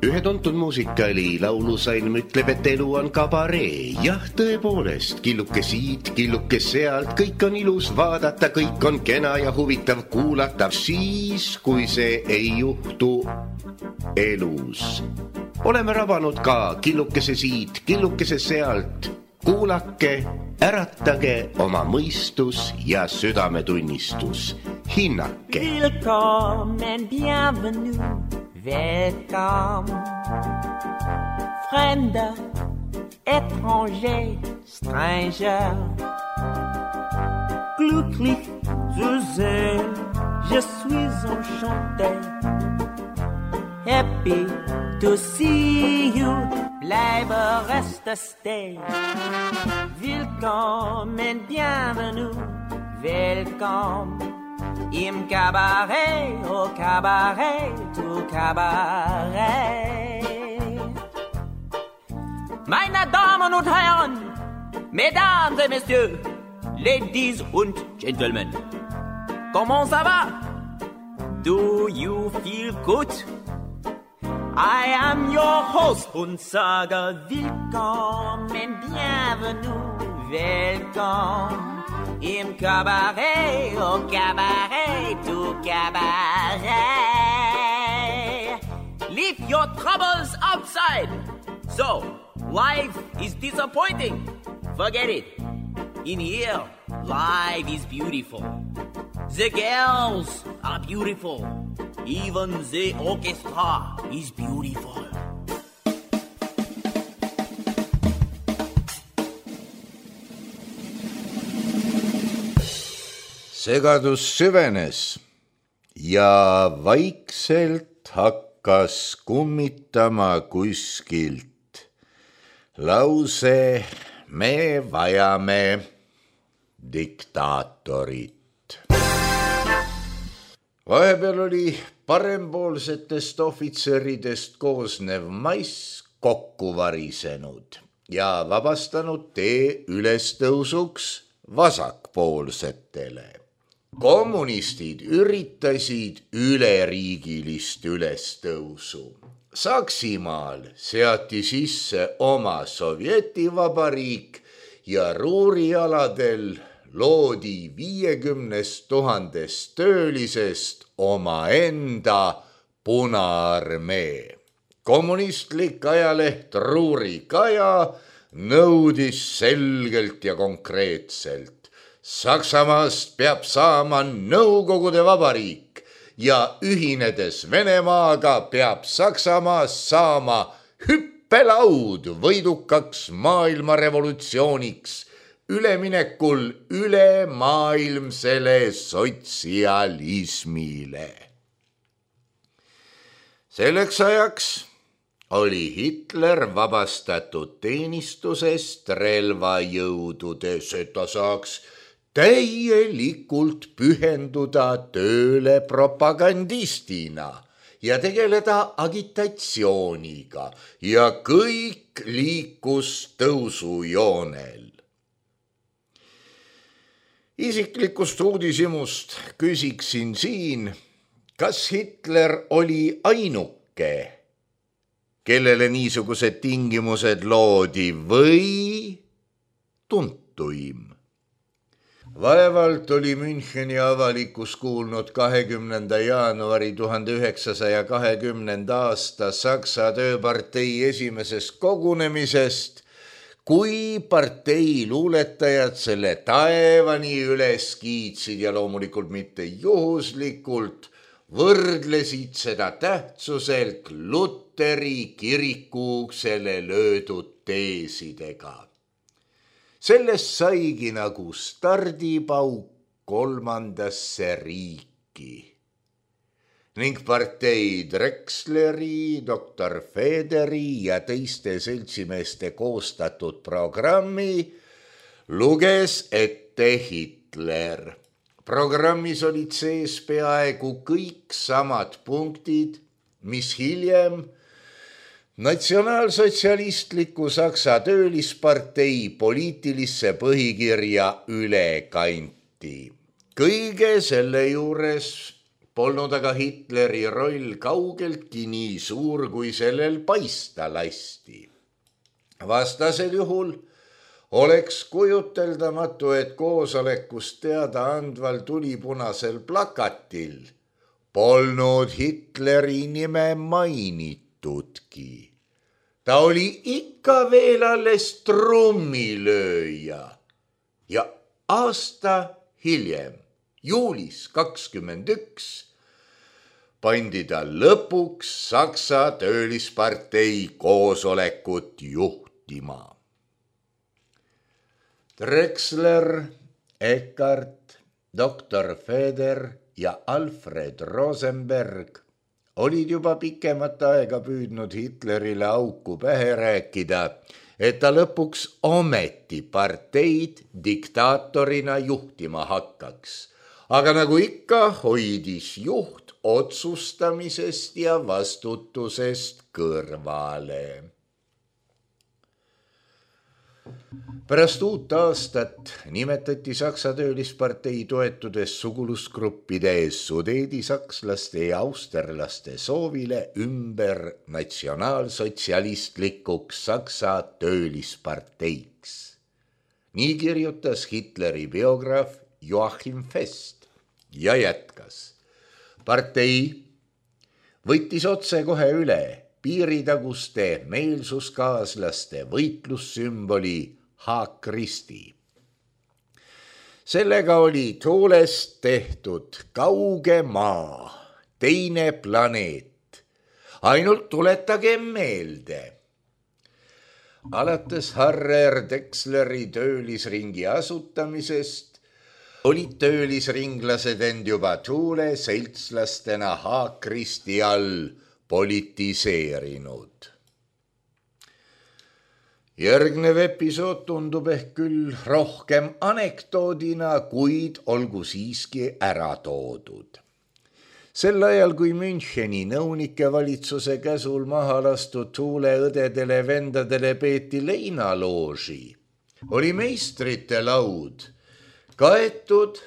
Ühe tuntud muusikali laulusalm ütleb, et elu on kabaree. Jah, tõepoolest, killuke siit, killuke sealt, kõik on ilus vaadata, kõik on kena ja huvitav kuulata. Siis, kui see ei juhtu elus. Oleme rabanud ka killukese siit, killukese sealt. Kuulake, äratage oma mõistus ja südametunnistus. Hinnake. Willkommen, bienvenue, welcome. Fremder, étranger, stranger. Glücklich zu sehen, je suis enchanté. Happy to see you, bleibe reste stay. Willkommen, bienvenue, welcome. Im Cabaret, au Cabaret, au Cabaret. Meine Damen und Herren, Mesdames et Messieurs, Ladies und Gentlemen, comment ça va? Do you feel good? I am your host und sage willkommen, bienvenue, welcome. Im Cabaret, au Cabaret, au Cabaret. Leave your troubles outside. So, life is disappointing. Forget it. In here, life is beautiful. The girls are beautiful. Even the orchestra is beautiful. Segadus süvenes ja vaikselt hakkas kummitama kuskilt lause me vajame diktaatorit. Vahepeal oli parempoolsetest ohvitseridest koosnev mais kokku varisenud ja vabastanud tee ülestõusuks vasakpoolsetele. Kommunistid üritasid üleriigilist ülestõusu. Saksimaal seati sisse oma sovjetivabariik ja Ruurialadel loodi 50 000 töölisest omaenda Punaarmee. Kommunistlik ajaleht Ruuri Kaja nõudis selgelt ja konkreetselt. Saksamaast peab saama Nõukogude Vabariik ja ühinedes Venemaaga peab Saksamaast saama hüppelaud võidukaks maailmarevolutsiooniks üleminekul ülemaailmsele sotsialismile. Selleks ajaks oli Hitler vabastatud teenistusest relvajõududes, et ta saaks täielikult pühenduda tööle propagandistina ja tegeleda agitatsiooniga ja kõik liikus tõusujoonel. Isiklikust uudishimust küsiksin siin, kas Hitler oli ainuke, kellele niisugused tingimused loodi või tuntuim? Vaevalt oli Müncheni avalikkus kuulnud 20. jaanuari 1920. aasta Saksa tööpartei esimesest kogunemisest, kui partei luuletajad selle taevani üles kiitsid ja loomulikult mitte juhuslikult võrdlesid seda tähtsuselt Luteri kiriku uksele löödud teesidega. Sellest saigi nagu stardipauk 3. riiki ning partei Drexleri, doktor Federi ja teiste seltsimeeste koostatud programmi luges ette Hitler. Programmis olid sees peaaegu kõik samad punktid, mis hiljem natsionaalsotsialistliku Saksa töölispartei poliitilisse põhikirja üle kanti. Kõige selle juures polnud aga Hitleri roll kaugeltki nii suur, kui sellel paista lasti. Vastasel juhul oleks kujuteldamatu, et koosolekust teada andval tulipunasel plakatil polnud Hitleri nime mainitudki. Ta oli ikka veel alles trummilööja ja aasta hiljem, juulis 21, pandi ta lõpuks Saksa töölispartei koosolekut juhtima. Drexler, Eckart, doktor Feder ja Alfred Rosenberg olid juba pikemat aega püüdnud Hitlerile auku pähe rääkida, et ta lõpuks ometi parteid diktaatorina juhtima hakkaks. Aga nagu ikka hoidis juht otsustamisest ja vastutusest kõrvale. Pärast uut aastat nimetati Saksa töölispartei toetudes sugulusgruppide sudeedisakslaste ja austerlaste soovile ümber natsionaalsotsialistlikuks Saksa töölisparteiks. Nii kirjutas Hitleri biograaf Joachim Fest ja jätkas. Partei võttis otsekohe üle piiritaguste meelsuskaaslaste võitlussümboli Haakristi. Sellega oli toolest tehtud kauge maa, teine planeet. Ainult tuletage meelde. Alates Harrer Drexleri töölisringi asutamisest olid töölisringlased end juba tuule seltslastena Haakristi all politiseerinud. Järgnev episood tundub ehk küll rohkem anekdoodina, kuid olgu siiski ära toodud. Sel ajal, kui Müncheni nõunike valitsuse käsul maha lastud tuuleõdedele vendadele peeti leinalooži, oli meistrite laud kaetud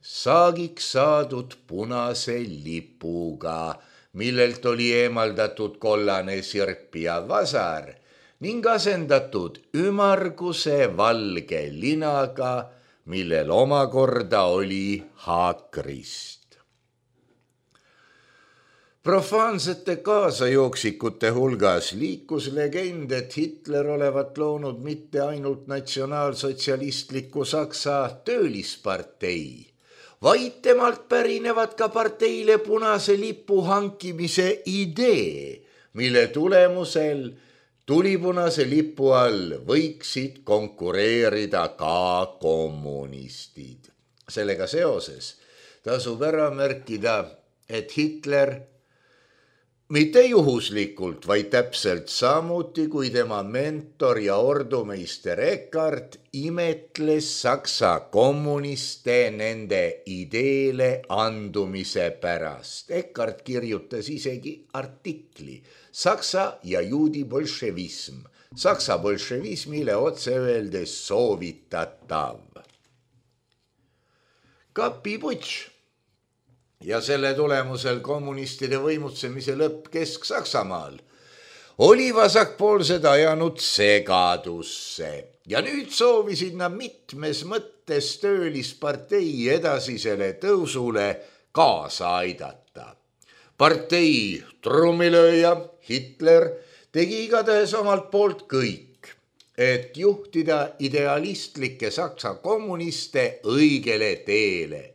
saagiks saadud punase lipuga, millelt oli eemaldatud kollane sirp ja vasar ning asendatud ümmarguse valge linaga, millel omakorda oli haakrist. Profaansete kaasajooksikute hulgas liikus legend, et Hitler olevat loonud mitte ainult natsionaalsotsialistliku Saksa töölispartei, vaid temalt pärinevad ka parteile punase lipu hankimise idee, mille tulemusel tulipunase lipu all võiksid konkureerida ka kommunistid. Sellega seoses tasub ära märkida, et Hitler mitte juhuslikult, vaid täpselt samuti kui tema mentor ja ordumeister Eckart imetles Saksa kommuniste nende ideele andumise pärast. Eckart kirjutas isegi artikli Saksa ja juudi bolševism, Saksa bolševismile otse öeldes soovitatav. Kapiputš ja selle tulemusel kommunistide võimutsemise lõpp Kesk-Saksamaal oli vasakpoolsed ajanud segadusse ja nüüd soovisid nad mitmes mõttes töölispartei edasisele tõusule kaasa aidata. Partei trummilööja Hitler tegi igatahes omalt poolt kõik, et juhtida idealistlikke Saksa kommuniste õigele teele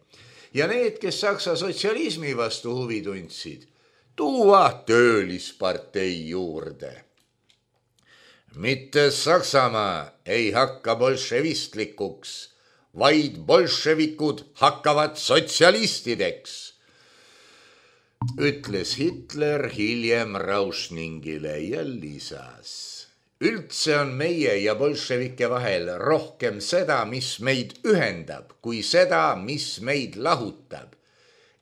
ja need, kes Saksa sotsialismi vastu huvi tundsid, tuua töölispartei juurde. Mitte Saksamaa ei hakka bolševistlikuks, vaid bolševikud hakkavad sotsialistideks, ütles Hitler hiljem Rauschningile ja lisas. Üldse on meie ja bolševike vahel rohkem seda, mis meid ühendab, kui seda, mis meid lahutab.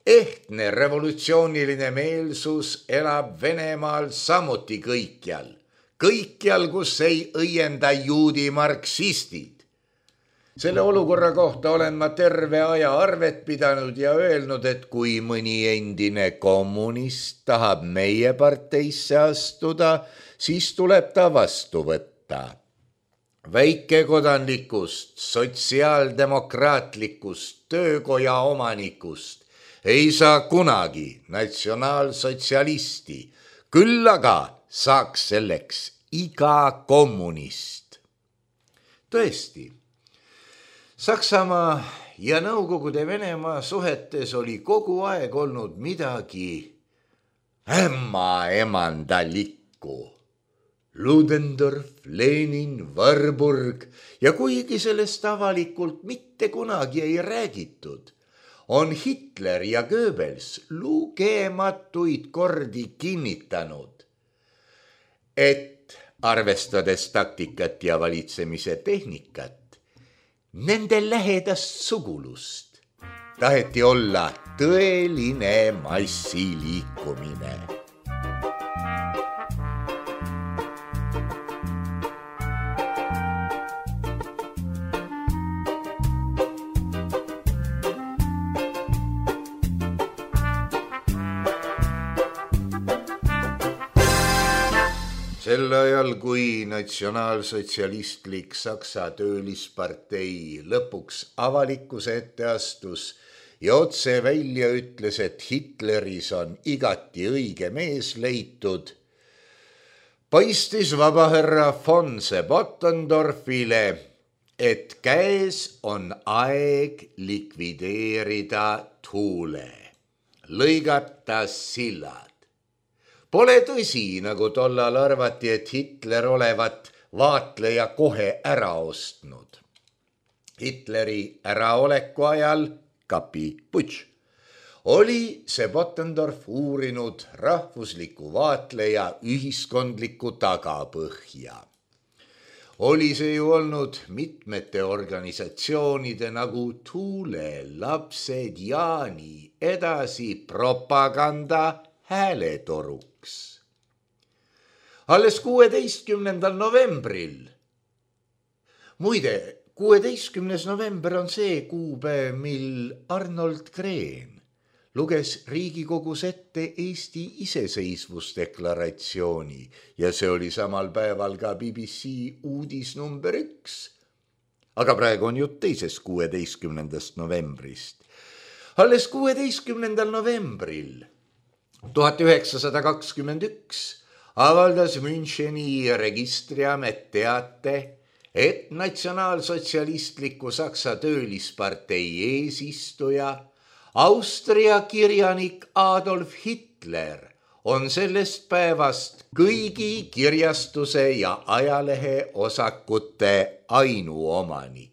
Ehtne revolutsiooniline meelsus elab Venemaal samuti kõikjal, kus ei õienda juudi marksistid. Selle olukorra kohta olen ma terve aja arvet pidanud ja öelnud, et kui mõni endine kommunist tahab meie parteisse astuda, siis tuleb ta vastu võtta. Väikekodanlikust, sotsiaaldemokraatlikust, töökoja omanikust ei saa kunagi natsionaalsotsialisti, küll aga saaks selleks iga kommunist. Tõesti, Saksamaa ja Nõukogude Venemaa suhetes oli kogu aeg olnud midagi ämmaemandalikku. Ludendorff, Lenin, Warburg ja kuigi sellest avalikult mitte kunagi ei räägitud, on Hitler ja Goebbels lugematuid kordi kinnitanud, et arvestades taktikat ja valitsemise tehnikat, nende lähedast sugulust taheti olla tõeline massiliikumine. Sel ajal, kui natsionaalsotsialistlik Saksa töölispartei lõpuks avalikkuse ette astus ja otse välja ütles, et Hitleris on igati õige mees leitud, paistis vabaherra von Bottendorfile, et käes on aeg likvideerida Thule, lõigata sillad. Pole tõsi, nagu tollal arvati, et Hitler olevat vaatleja kohe ära ostnud. Hitleri äraoleku ajal, kapiputš, oli see Bottendorf uurinud rahvusliku vaatleja ühiskondlikku tagapõhja. Oli see ju olnud mitmete organisatsioonide nagu Thule, Lapsed, Jaani edasi propaganda hääletoruks. Alles 16. novembril. Muide, 16. november on see kuupäev, mil Arnold Green luges Riigikogus ette Eesti iseseisvusdeklaratsiooni ja see oli samal päeval ka BBC uudis number 1. Aga praegu on jutt teisest 16. novembrist. Alles 16. novembril 1921 avaldas Müncheni registriamet teate, et natsionaalsotsialistliku Saksa töölispartei eesistuja, Austria kirjanik Adolf Hitler on sellest päevast kõigi kirjastuse ja ajalehe osakute ainuomanik.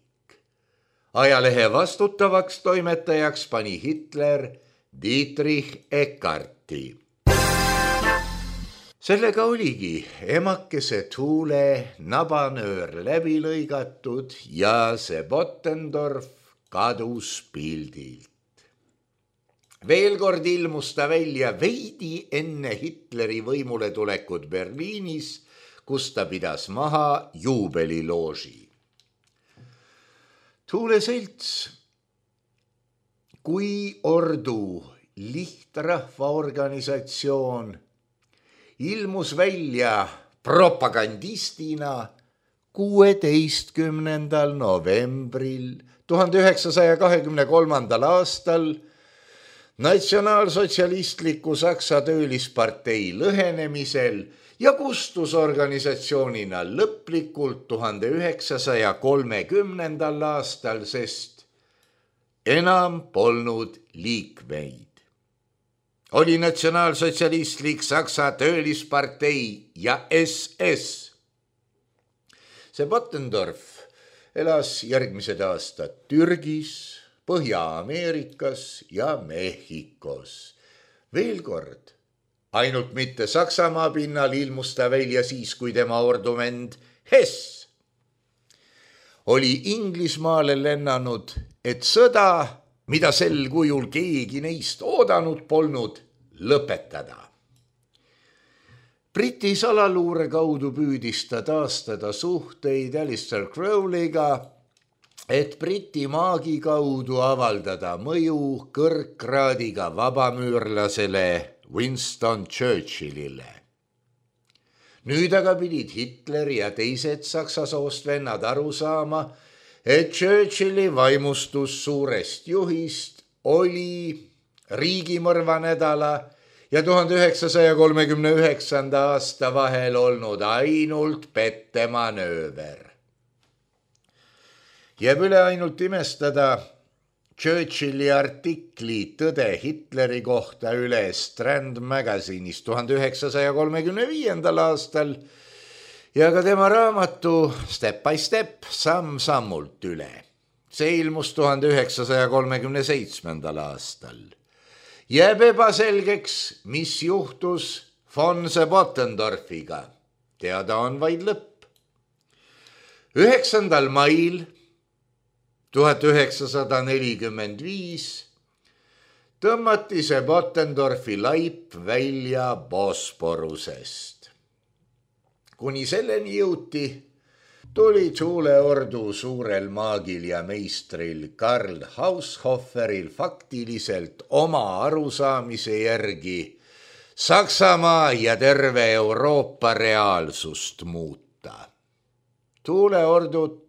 Ajalehe vastutavaks toimetajaks pani Hitler Dietrich Eckarti. Sellega oligi emakese Thule nabanöör läbi lõigatud ja see Bottendorf kadus pildilt. Veel kord ilmus ta välja veidi enne Hitleri võimule tulekut Berliinis, kus ta pidas maha juubelilooži. Thule selts kui ordu lihtrahvaorganisatsioon ilmus välja propagandistina 16. novembril 1923. aastal natsionaalsotsialistliku Saksa töölispartei lõhenemisel ja kustus organisatsioonina lõplikult 1930. aastal, sest enam polnud liikmeid. Oli natsionaalsotsialistlik Saksa töölispartei ja SS. See Bottendorf elas järgmised aastad Türgis, Põhja-Ameerikas ja Mehhikos. Veel kord, ainult mitte Saksamaa pinnal ilmus ta välja siis, kui tema ordument Hess oli Inglismaale lennanud, et sõda, mida sel kujul keegi neist oodanud polnud, lõpetada. Briti salaluure kaudu püüdis ta taastada suhteid Alistair Crowley'ga et Briti maagi kaudu avaldada mõju kõrgkraadiga vabamüürlasele Winston Churchillile. Nüüd aga pidid Hitler ja teised saksa soost vennad aru saama, et Churchilli vaimustus suurest juhist oli riigimõrva nädala ja 1939. aasta vahel olnud ainult pettemanööver. Jääb üle ainult imestada Churchilli artikli Tõde Hitleri kohta üle Strand Magazine'is 1935. aastal ja ka tema raamatu Step by Step samm-sammult üle. See ilmus 1937. aastal. Jääb ebaselgeks, mis juhtus von Bottendorfiga. Teada on vaid lõpp. 9. mail 1945 tõmmati see Bottendorfi laip välja Bosporusest. Kuni selleni jõuti, tuli tuuleordu suurel maagil ja meistril Karl Haushoferil faktiliselt oma arusaamise järgi Saksamaa ja terve Euroopa reaalsust muuta. Tuuleordut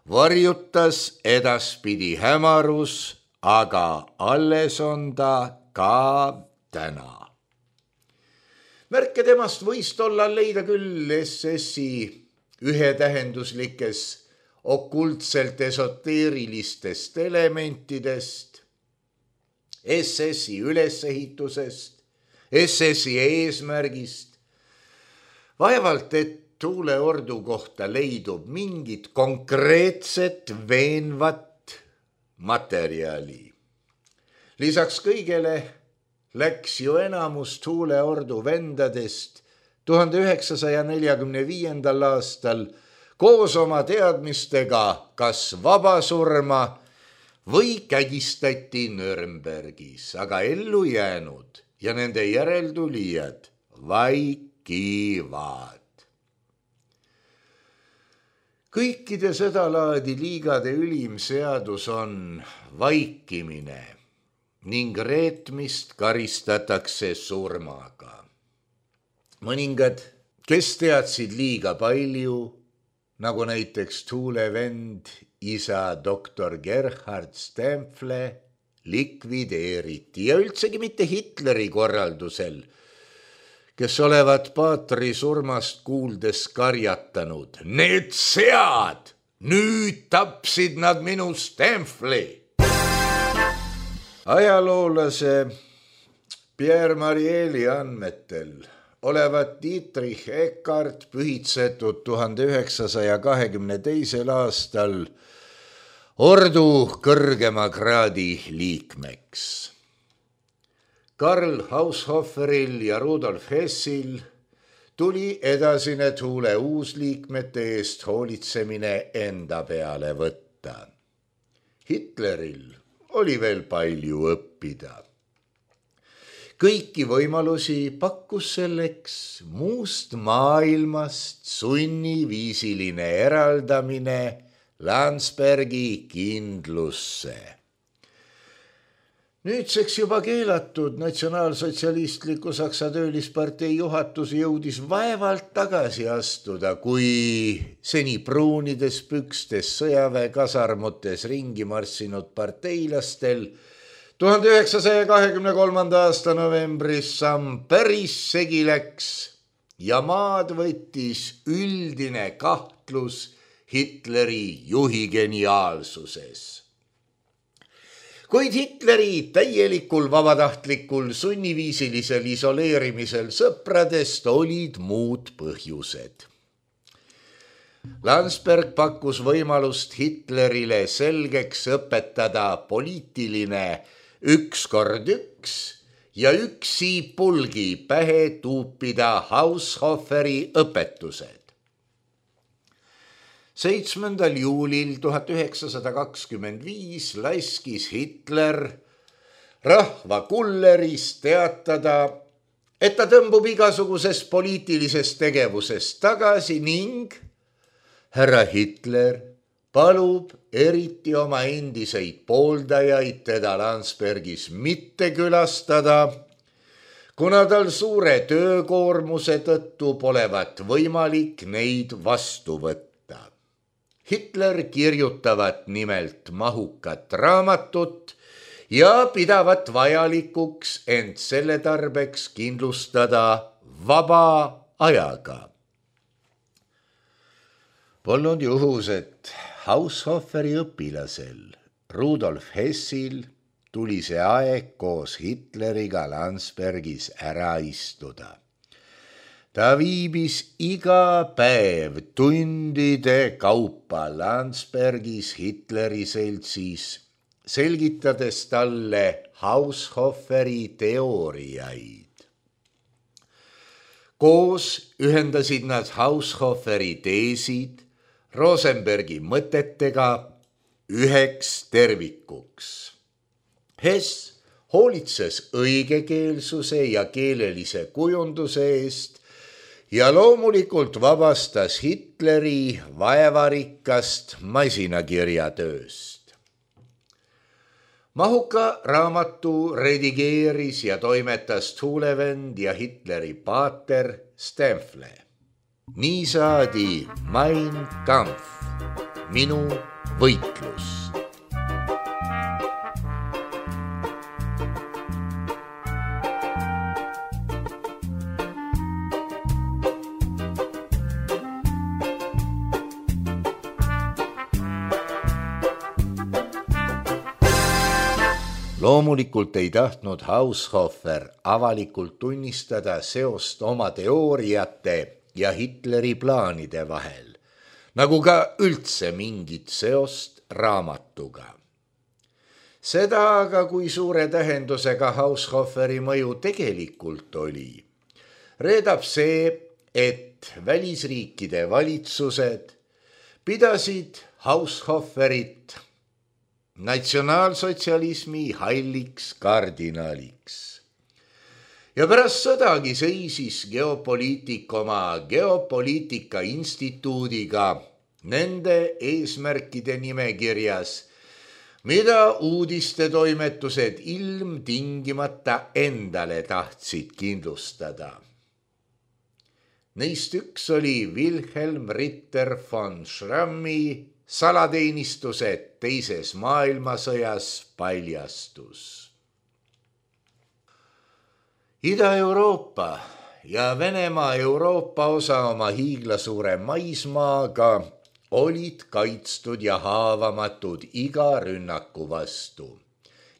varjutas edaspidi hämarus, aga alles on ta ka täna. Märke temast võis tollal leida küll SS-i ühetähenduslikes okultselt esoteerilistest elementidest, SS-i ülesehitusest, SS-i eesmärgist. Vaevalt, et tuuleordu kohta leidub mingit konkreetset veenvat materjali. Lisaks kõigele läks ju enamus tuuleordu vendadest 1945. aastal koos oma teadmistega kas vabasurma või kägistati Nürnbergis, aga ellu jäänud ja nende järeltulijad vaikivad. Kõikide seda laadi liigade ülim seadus on vaikimine ning reetmist karistatakse surmaga. Mõningad, kes teadsid liiga palju, nagu näiteks tuulevend isa doktor Gerhard Stempfle, likvideeriti ja üldsegi mitte Hitleri korraldusel, kes olevat paatri surmast kuuldes karjatanud. Need sead, nüüd tapsid nad minu Stempfli. Ajaloolase Pierre Marieli andmetel olevat Dietrich Eckart pühitsetud 1922. aastal ordu kõrgema kraadi liikmeks. Karl Haushoferil ja Rudolf Hessil tuli edasine tuule uusliikmete eest hoolitsemine enda peale võtta. Hitleril oli veel palju õppida. Kõiki võimalusi pakkus selleks muust maailmast sunniviisiline eraldamine Landsbergi kindlusse. Nüüdseks juba keelatud natsionaalsotsialistliku Saksa töölispartei juhatus jõudis vaevalt tagasi astuda, kui seni pruunides pükstes sõjaväekasarmutes ringi marssinud parteilastel 1923. aasta novembris samm päris segi läks ja maad võttis üldine kahtlus Hitleri juhi geniaalsuses. Kuid Hitleri täielikul vabatahtlikul sunniviisilisel isoleerimisel sõpradest olid muud põhjused. Landsberg pakkus võimalust Hitlerile selgeks õpetada poliitiline 1x1 ja üksi pulgi pähe tuupida Haushoferi õpetused. 7. juulil 1925 laskis Hitler rahva kulleris teatada, et ta tõmbub igasugusest poliitilisest tegevusest tagasi ning härra Hitler palub eriti oma endiseid pooldajaid teda Landsbergis mitte külastada, kuna tal suure töökoormuse tõttu polevat võimalik neid vastu võtta. Hitler kirjutavat nimelt mahukat raamatut ja pidavat vajalikuks end selle tarbeks kindlustada vaba ajaga. Polnud juhus, et Haushoferi õpilasel Rudolf Hessil tuli see aeg koos Hitleriga Landsbergis ära istuda. Ta viibis iga päev tundide kaupa Landsbergis Hitleri seltsis, selgitades talle Haushoferi teooriaid. Koos ühendasid nad Haushoferi teesid Rosenbergi mõtetega üheks tervikuks. Hess hoolitses õigekeelsuse ja keelelise kujunduse eest ja loomulikult vabastas Hitleri vaevarikkast masinakirjatööst. Mahuka raamatu redigeeris ja toimetas Tulevend ja Hitleri paater Stempfle. Nii saadi Mein Kampf, minu võitlus. Loomulikult ei tahtnud Haushofer avalikult tunnistada seost oma teooriate ja Hitleri plaanide vahel, nagu ka üldse mingit seost raamatuga. Seda aga, kui suure tähendusega Haushoferi mõju tegelikult oli, reedab see, et välisriikide valitsused pidasid Haushoferit natsionaalsotsialismi halliks kardinaliks. Ja pärast sõdagi seisis geopoliitik oma geopoliitika instituudiga nende eesmärkide nimekirjas, mida uudistetoimetused ilmtingimata endale tahtsid kindlustada. Neist üks oli Wilhelm Ritter von Schrammi salateenistused teises maailmasõjas paljastus. Ida-Euroopa ja Venemaa Euroopa osa oma hiiglasuure maismaaga olid kaitstud ja haavamatud iga rünnaku vastu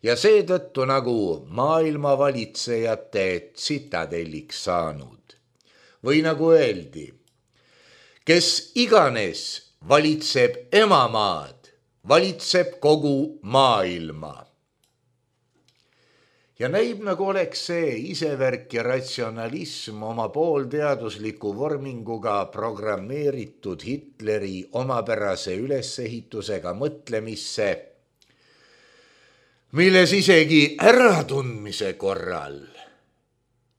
ja seetõttu nagu maailmavalitsejate tsitadelliks saanud. Või nagu öeldi, kes iganes valitseb emamaad, valitseb kogu maailma. Ja näib nagu oleks see isevärk ja ratsionalism oma poolteadusliku vorminguga programmeeritud Hitleri omapärase ülesehitusega mõtlemisse, milles isegi äratundmise korral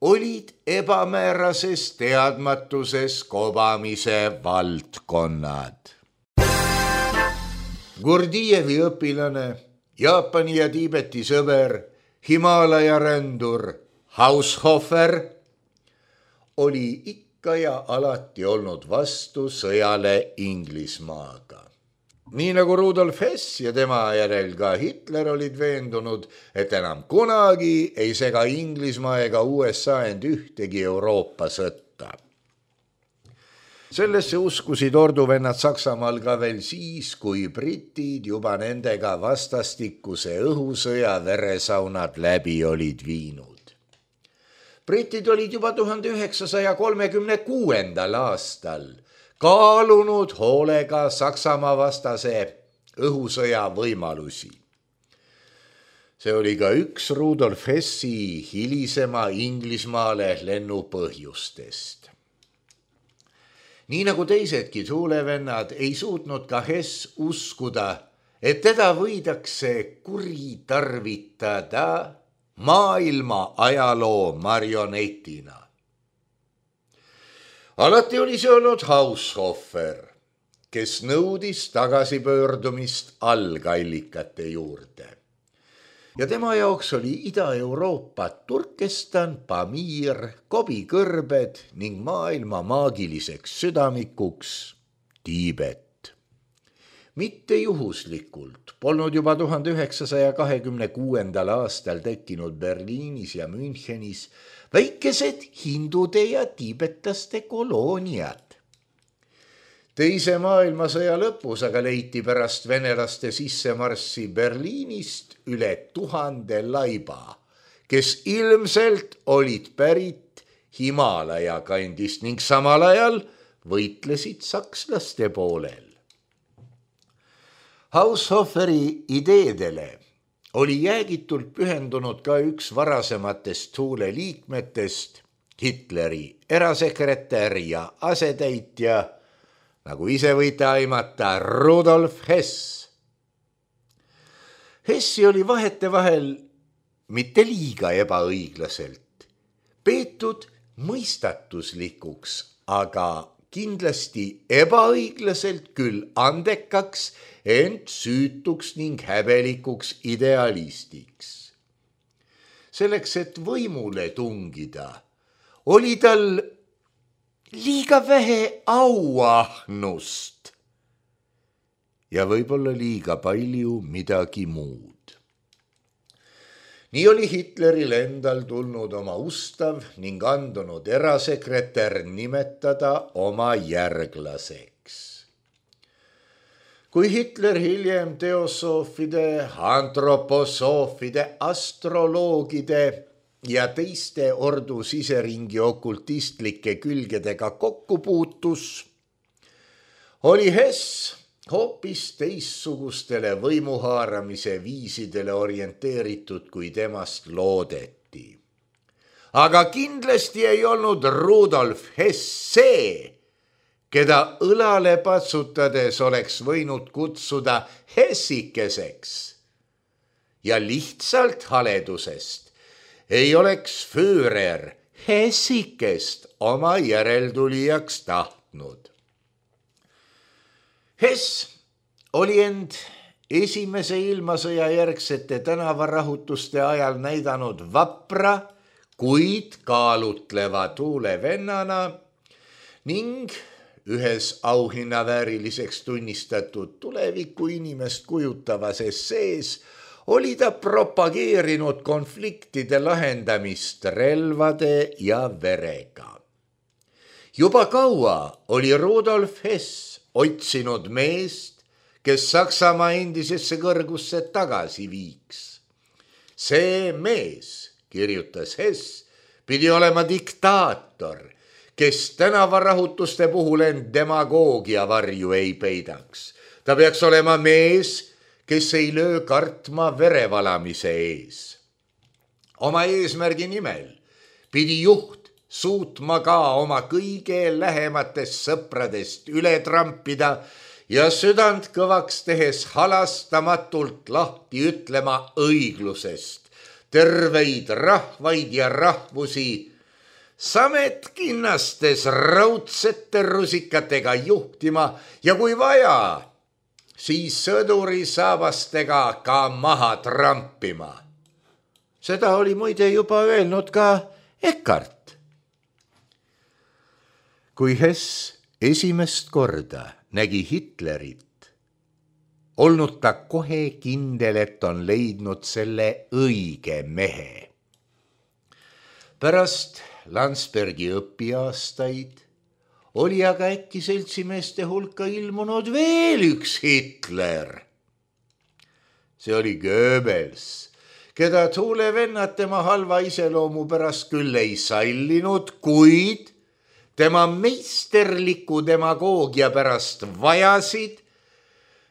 olid ebamäärases teadmatuses kobamise valdkonnad. Gurdjieffi õpilane, Jaapani ja Tiibeti sõber, Himaalaja rändur Haushofer oli ikka ja alati olnud vastu sõjale Inglismaaga. Nii nagu Rudolf Hess ja tema järel ka Hitler olid veendunud, et enam kunagi ei sega Inglismaa ega USA end ühtegi Euroopa sõtta. Sellesse uskusid orduvennad Saksamaal ka veel siis, kui britid juba nendega vastastikuse õhusõja veresaunad läbi olid viinud. Britid olid juba 1936. aastal kaalunud hoolega Saksamaa vastase õhusõja võimalusi. See oli ka üks Rudolf Hessi hilisema Inglismaale lennu põhjustest. Nii nagu teisedki tuulevennad ei suutnud ka Hess uskuda, et teda võidakse kuritarvitada maailma ajaloo marionetina. Alati oli see olnud Haushofer, kes nõudis tagasipöördumist algallikate juurde. Ja tema jaoks oli Ida-Euroopa Turkestan, Pamir, Gobi-kõrbed ning maailma maagiliseks südamikuks Tiibet. Mitte juhuslikult polnud juba 1926. aastal tekkinud Berliinis ja Münchenis väikesed hindude ja tiibetaste kolooniad. Teise maailmasõja lõpus aga leiti pärast venelaste sissemarssi Berliinist üle 1000 laiba, kes ilmselt olid pärit Himalaja kandist ning samal ajal võitlesid sakslaste poolel. Haushoferi ideedele oli jäägitult pühendunud ka üks varasematest Thule liikmetest, Hitleri erasekretär ja asetäitja, nagu ise võite aimata, Rudolf Hess. Hessi oli vahetevahel mitte liiga ebaõiglaselt peetud mõistatuslikuks, aga kindlasti ebaõiglaselt küll andekaks, ent süütuks ning häbelikuks idealistiks. Selleks, et võimule tungida, oli tal liiga vähe auahnust ja võib-olla liiga palju midagi muud. Nii oli Hitleril endal tulnud oma ustav ning andunud erasekretär nimetada oma järglaseks. Kui Hitler hiljem teosoofide, antroposoofide, astroloogide ja teiste ordu siseringi okultistlike külgedega kokku puutus, oli Hess hoopis teissugustele võimuhaaramise viisidele orienteeritud, kui temast loodeti. Aga kindlasti ei olnud Rudolf Hess see, keda õlale patsutades oleks võinud kutsuda hessikeseks. Ja lihtsalt haledusest ei oleks Führer hessikest oma järeltulijaks tahtnud. Hess oli end esimese ilmasõja järgsete tänavarahutuste ajal näidanud vapra, kuid kaalutleva tuulevennana ning ühes auhinnavääriliseks tunnistatud tuleviku inimest kujutavas essees oli ta propageerinud konfliktide lahendamist relvade ja verega. Juba kaua oli Rudolf Hess otsinud meest, kes Saksamaa endisesse kõrgusse tagasi viiks. See mees, kirjutas Hess, pidi olema diktaator, kes tänavarahutuste puhul end demagoogia varju ei peidaks. Ta peaks olema mees, kes ei löö kartma verevalamise ees. Oma eesmärgi nimel pidi juht suutma ka oma kõige lähematest sõpradest üle trampida ja südant kõvaks tehes halastamatult lahti ütlema õiglusest, terveid rahvaid ja rahvusi, sametkinnastes raudsete rusikatega juhtima ja kui vaja, siis sõduri saabastega ka maha trampima. Seda oli muide juba öelnud ka Eckart. Kui Hess esimest korda nägi Hitlerit, olnud ta kohe kindel, et on leidnud selle õige mehe. Pärast Landsbergi õpiaastaid oli aga äkki seltsimeeste hulka ilmunud veel üks Hitler. See oli Goebbels, keda tuulevennad tema halva iseloomu pärast küll ei sallinud, kuid tema meisterliku demagoogia pärast vajasid,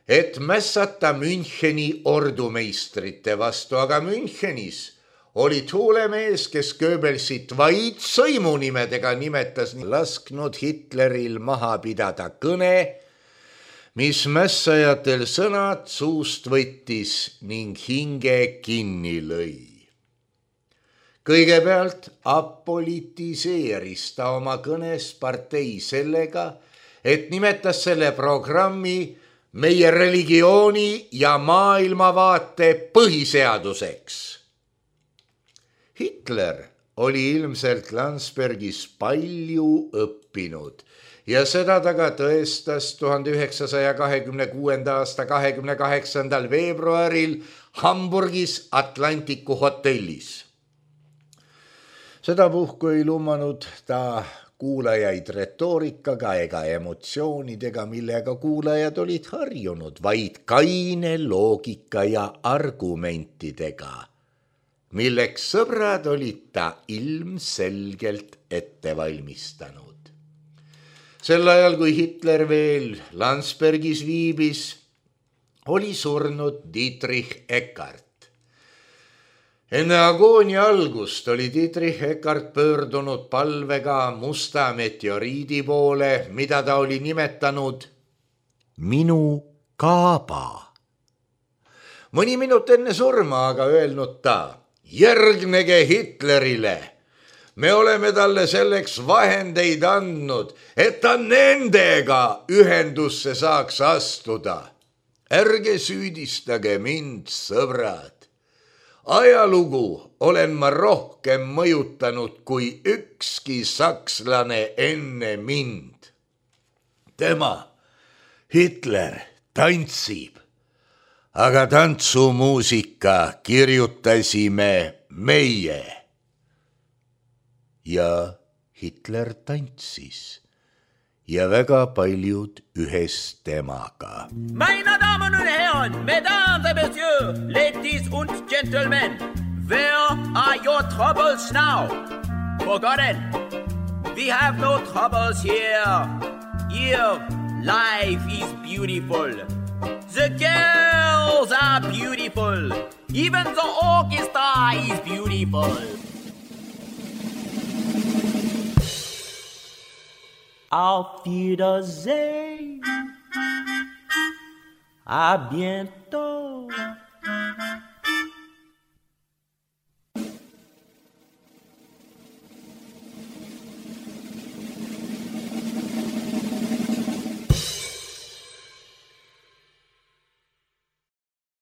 et mässata Müncheni ordumeistrite vastu, aga Münchenis oli tuulemees, kes Goebbelsit vaid sõimunimedega nimetas, lasknud Hitleril maha pidada kõne, mis mässajatel sõnad suust võttis ning hinge kinni lõi. Kõigepealt apolitiseeris ta oma kõnes partei sellega, et nimetas selle programmi meie religiooni ja maailmavaate põhiseaduseks. Hitler oli ilmselt Landsbergis palju õppinud ja seda ta ka tõestas 1926. aasta 28. veebruaril Hamburgis Atlantiku hotellis. Sedapuhku ei lumanud ta kuulajaid retoorikaga ega emotsioonidega, millega kuulajad olid harjunud, vaid kaine loogika ja argumentidega, milleks sõbrad olid ta ilmselgelt ette valmistanud. Sel ajal, kui Hitler veel Landsbergis viibis, oli surnud Dietrich Eckart. Enne agoonia algust oli Dietrich Eckart pöördunud palvega musta meteoriidi poole, mida ta oli nimetanud minu kaaba. Mõni minut enne surma aga öelnud ta: järgnege Hitlerile. Me oleme talle selleks vahendeid andnud, et ta nendega ühendusse saaks astuda. Ärge süüdistage mind, sõbrad. Ajalugu olen ma rohkem mõjutanud kui ükski sakslane enne mind. Tema, Hitler, tantsib, aga tantsumuusika kirjutasime meie. Ja Hitler tantsis ja väga paljud ühes temaga. Meine Damen und Herren, Mesdames et Messieurs, ladies und gentlemen, where are your troubles now? Forgotten, we have no troubles here. Here, life is beautiful. The girls are beautiful. Even the orchestra is beautiful. Auf Wiedersehen, à bientôt.